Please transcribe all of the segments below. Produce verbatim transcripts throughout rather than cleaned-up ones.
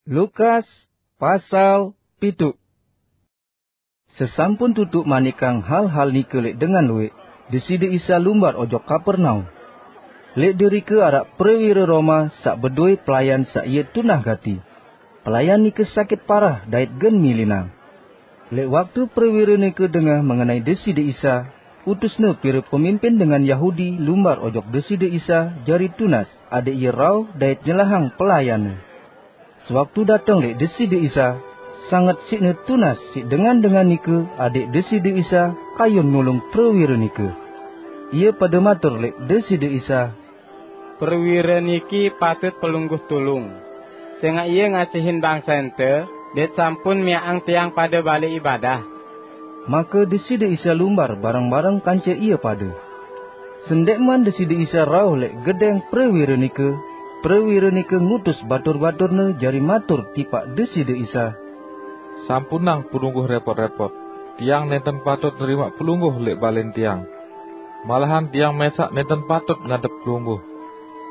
Lukas pasal pitu. Sesampun tutup manikang hal-hal nike lek dengan luek, Deside Isa lumbar ojok Kapernaum. Lek derike arak prewira Roma sak bedoe pelayan sak ie tunah gati. Pelayan nike sakit parah dait gen milinang. Lek waktu prewira nike dengah mengenai Deside Isa, utusne pira pemimpin dengan Yahudi lumbar ojok Deside Isa jari tunas adek ie rauh dait nyelahang pelayanne. Sewaktu dateng lek Deside Isa, sanget sikne tunas sik dengan-dengan nike adek Deside Isa kayun nulung prewira nike. Ie pada matur lek Deside Isa, "Prewira niki patut Pelungguh tulung, sengak ie ngasihin bangsa ente dait sampun miakang tiang pada bale ibadah." Maka Deside Isa lumbar bareng-bareng kance ie pada. Sendekman Deside Isa rauh lek gedeng prewira nike, prewira nike ngutus batur-baturne jari matur tipak Deside Isa, "Sampunang Pelungguh repot-repot. Tiang nenten patut nerima Pelungguh lek balen tiang. Malahan tiang mesak nenten patut ngadep Pelungguh.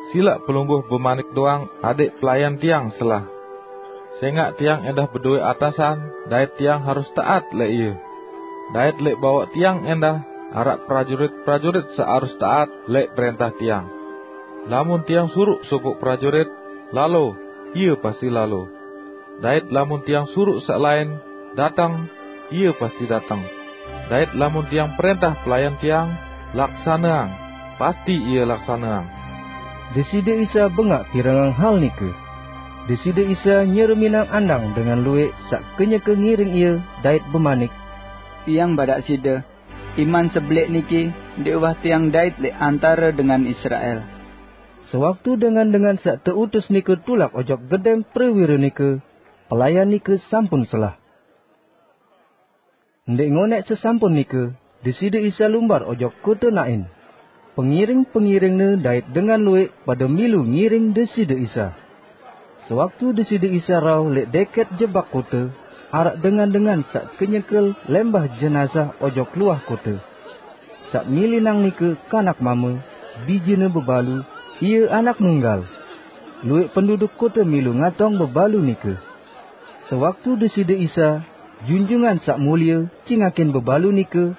Silak Pelungguh bemanik doang adek pelayan tiang selah. Sengak tiang endah bedoe atasan, dait tiang harus taat lek ie. Dait lek bawok tiang endah arak prajurit-prajurit sak harus taat lek perentah tiang. Lamun tiang suruk sopoq prajurit, 'Lalo,' ie pasti lalo. Dait lamun tiang suruk sak laen, 'Dateng,' ie pasti dateng. Dait lamun tiang perentah pelayan tiang, 'Laksaneang,' pasti ie laksaneang." Deside Isa bengak pirengang hal nike. Deside Isa nyereminang andang dengan luek sak kenyeke ngiring ie dait bemanik, "Tiang badak side, iman sebelek niki ndeq uwah tiang dait lek antare dengan Israel." Sewaktu dengan-dengan sak teutus nike tulak ojok gedeng prewira nike, pelayan nike sampun selah. Ndeq ngoneq sesampun nike, Deside Isa lumbar ojok kote Nain. Pengiring-pengiringne dait dengan luek pade milu ngiring Deside Isa. Sewaktu Deside Isa rauh lek deket jebak kote, araq dengan-dengan saq kenyekel lembah jenazah ojok luah kote. Saq milinang nike kanak mame, bijene bebalu, ie anak nunggal. Luek penduduk kote milu ngatong bebalu nike. Sewaktu Deside Isa, Junjungan Saq Mulie, cingakin bebalu nike,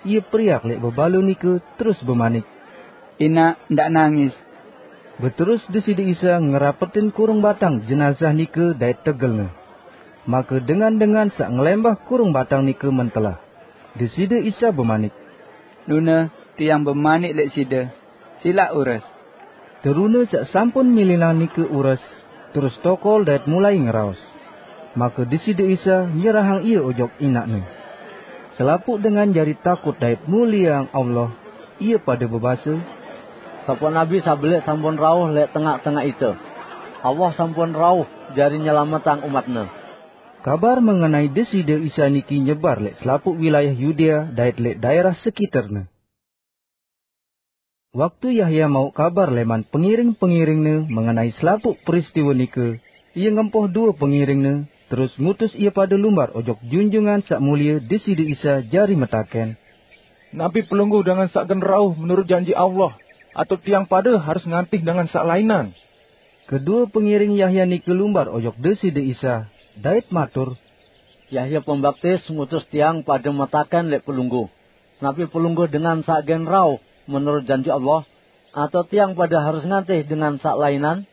ie periak lek bebalu nike terus bemanik, "Inaq, ndaq nangis!" Beterus Deside Isa ngerapetin kurung batang jenazah nike dait tegelne. Make dengan-dengan saq ngelembah kurung batang nike mentelah. Deside Isa bemanik, "Nune, Tiang bemanik lek side, silaq ures." Terune saq sampun milinang nike ures, terus tokol dait mulai ngeraos. Make Deside Isa nyerahang ie ojok inaqne. Selapuq dengan jari takut dait mulieang Allah. Ie pade bebase, "Sopoq nabi saq beleq sampun rauh lek tengaq-tengaq ite. Allah sampun rauh jari nyelametang umat-Ne." Kabar mengenai Deside Isa niki nyebar lek selapuq wilayah Yudea dait lek daerah sekiterne. Waktu Yahya mauq kabar leman pengiring-pengiringne mengenai selapuq peristiwe nike, ie ngempoh due pengiringne, terus ngutus ie pade lumbar ojok Junjungan Saq Mulie Deside Isa jari metaken, "Napi Pelungguh dengan saq gen rauh menurut janji Allah, atau tiang pade harus ngantih dengan saq lainan?" Kedue pengiring Yahya nike lumbar ojok Deside Isa, dait matur, "Yahya Pembaptis ngutus tiang pade metaken lek Pelungguh, 'Napi Pelungguh dengan saq gen rauh menurut janji Allah, atau tiang pade harus ngantih dengan saq lainan?'"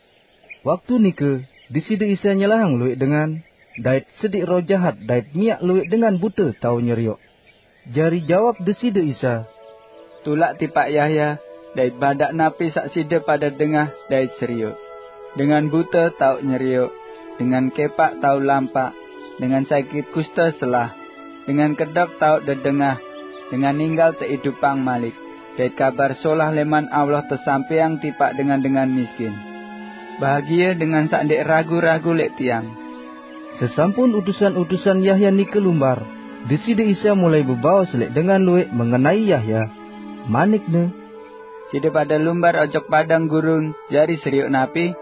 Waktu nike, Deside Isa nyelahang lueq dengan, dait sediq roh jahat dait miaq lueq dengan bute tao nyerioq. Jari jawab Deside Isa, "Tulak tipaq Yahya, dait badaq napi saq side pade dengah dait serioq. Dengan bute tao nyerioq, dengan kepaq tao lampaq, dengan sakit kuste selah, dengan kedok tao dedengah, dengan ninggal teidupang malik, dait Kabar Solah leman Allah tesampaiang tipaq dengan-dengan miskin. Bahagie dengan saq ndeq ragu-ragu lek Tiang." Sesampun utusan-utusan Yahya nike lumbar, Deside Isa mulai bebaos lek dengan lueq mengenai Yahya. Manik-Ne, "Side pade lumbar ojok padang gurun jari serioq napi?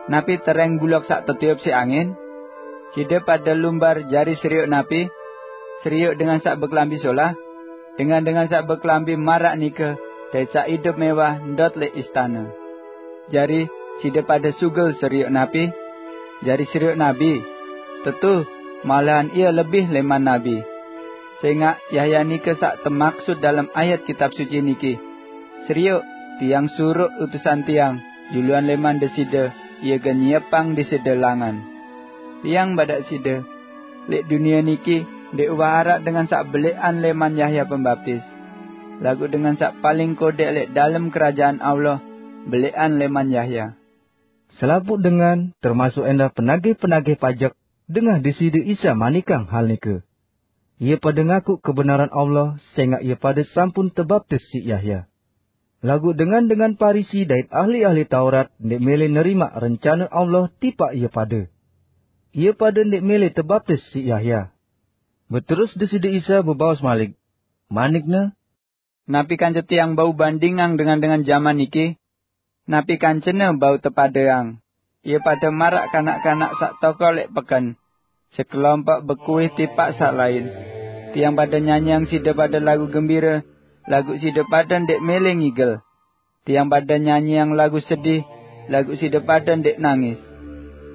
Napi tereng bulok saq tetiup siq angin? Side pade lumbar jari serioq napi? Serioq dengan saq bekelambi solah? Dengan-dengan saq bekelambi maraq nike dait saq idup mewah ndot lek istane. Jari, side pade sugul serioq napi? jari serioq nabi. Tetu, malahan ie lebih leman nabi. Sengaq Yahya nike saq temaksut dalem ayat Kitab Suci niki. Serioq, tiang suruq utusan tiang juluan leman Deside, ie gen nyiepang Deside langan. Tiang badaq side, leq dunie niki ndeq uwah araq dengan saq beleqan leman Yahya Pembaptis. Laguq dengan saq paling kodeq leq dalem Kerajaan Allah beleqan leman Yahya." Selapuq dengan, termasuk endah penagih-penagih pajek, dengah Deside Isa manikang hal nike. Ie pade ngaku kebenaran Allah, sengaq ie pade sampun tebaptis siq Yahya. Laguq dengan-dengan Parisi dait ahli-ahli Taurat ndeq mele nerimaq rencane Allah tipaq ie pade. Ie pade ndeq mele tebaptis siq Yahya. Beterus Deside Isa bebaos malik, manik-Ne, "Napi kance Tiang bau bandingang dengan-dengan jaman niki? Napi kancene bau tepadeang? Ie pade maraq kanak-kanak saq tokol leq peken, sekelompok bekuih tipaq saq lain. Tiang pade nyanyiang side pade lagu gembire, laguq side pade ndeq mele ngigel. Tiang pade nyanyiang lagu sedih, laguq side pade ndeq nangis.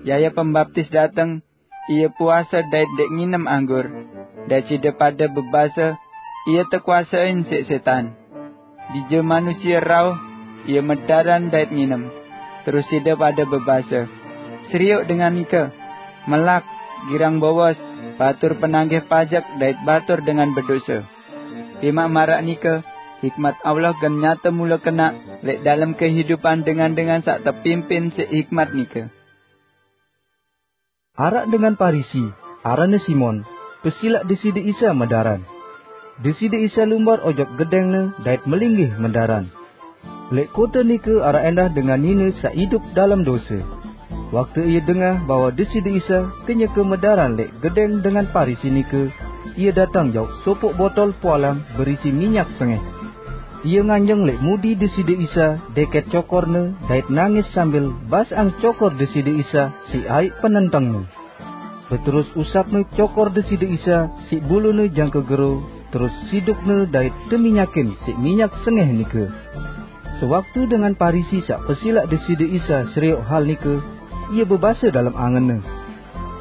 Yahya Pembaptis dateng, ie puase dait ndeq nginem anggur, dait side pade bebase, 'Ie tekuasein siq setan.' Bije Manusie rauh, ie medaran dait nginem." Terus side pade bebase, "Serioq dengan nike! Melak, girang bowos, batur penagih pajek dait batur dengan bedose. Timaq maraq nike, hikmat Allah gen nyate mule kenaq leq dalem kehidupan dengan-dengan saq tepimpin siq hikmat nike." Araq dengan Parisi, aranne Simon, pesilaq Deside Isa medaran. Deside Isa lumbar ojok gedengne dait melinggih medaran. Leq kote nike araq endah dengan nine saq idup dalem dose. Waktu ie dengah bahwe Deside Isa kenyeke medaran leq gedeng dengan Parisi nike, ie dateng jauq sopoq botol pualam berisi minyak sengeh. Ie nganjeng leq mudi Deside Isa deket cokorne dait nangis sambil basang cokor Deside Isa siq aiq penentengne. Beterus usapne cokor Deside Isa siq bulune jangke gero, terus sidukne dait teminyakin siq minyak sengeh nike. Sewaktu dengan Parisi saq pesilaq Deside Isa serioq hal nike, ie bebase dalem angenne,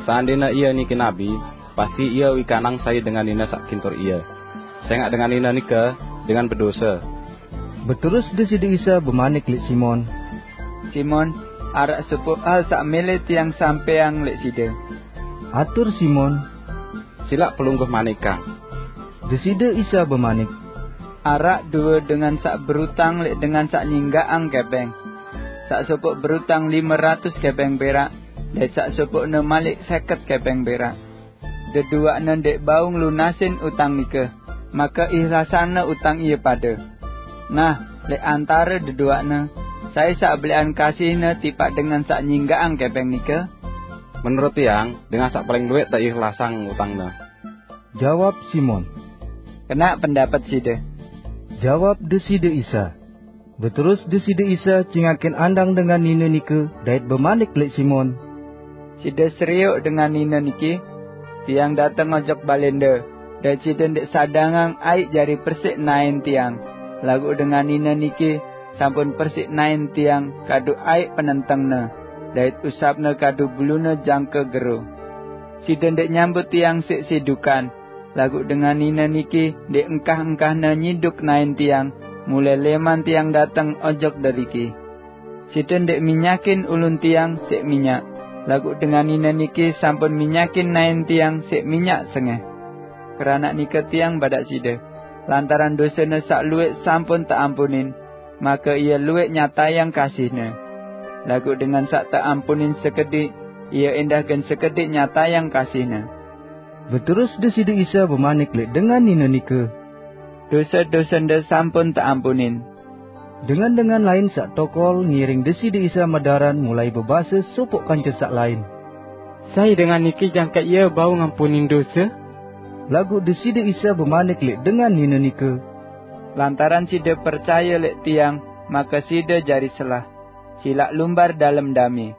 "Seandene ie niki nabi, pasti ie wikanang sai dengan nine saq gintur ie, sengaq dengan nine nike dengan bedose." Beterus Deside Isa bemanik leq Simon, "Simon, araq sopoq hal saq mele Tiang sampeang leq side." Atur Simon, "Silaq Pelungguh manikang." Deside Isa bemanik, "Araq due dengan saq berutang leq dengan saq nyinggaqang kepeng. Saq sopoq berutang lime ratus kepeng perak, dait saq sopoqne malik seket kepeng perak. Deduaqne ndeq bau ngelunasin utang nike, make ihlasangne utang ie pade. Nah, leq antare deduaqne, sai saq beleqan kasihne tipaq dengan saq nyinggaqang kepeng nike?" "Menurut tiang, dengan saq paling lueq teihlasang utangna," jawab Simon. "Kenaq pendapet side," jawab Deside Isa. Beterus Deside Isa cingakin andang dengan nine nike dait bemanik leq Simon, "Side serioq dengan nine niki? Tiang dateng ojok balende, dait side ndeq sadangang aiq jari persiq naen Tiang, laguq dengan nine niki sampun persiq naen Tiang kadu aiq penentengne, dait usapne kadu bulune jangke gero. Side ndeq nyambut Tiang siq sidukan, laguq dengan nine niki ndeq engkah-engkahne nyiduk naen Tiang, mulai leman Tiang dateng ojok deriki. Side ndeq minyakin ulun Tiang siq minyak, laguq dengan nine niki sampun minyakin naen Tiang siq minyak sengeh. Keranaq nike Tiang badaq side, lantaran dosene saq lueq sampun teampunin, make ie lueq nyatayang kasihne. Laguq dengan saq teampunin sekediq, ie endah gen sekediq nyatayang kasihne." Beterus Deside Isa bemanik leq dengan nine nike, "Dose-dosende sampun teampunin." Dengan-dengan lain saq tokol ngiring Deside Isa medaran mulai bebase sopoq kance saq lain, "Sai dengan niki jangke ie bau ngampunin dose?" Laguq Deside Isa bemanik leq dengan nine nike, "Lantaran side percaye leq Tiang, make side jari selah. Silaq lumbar dalem dame."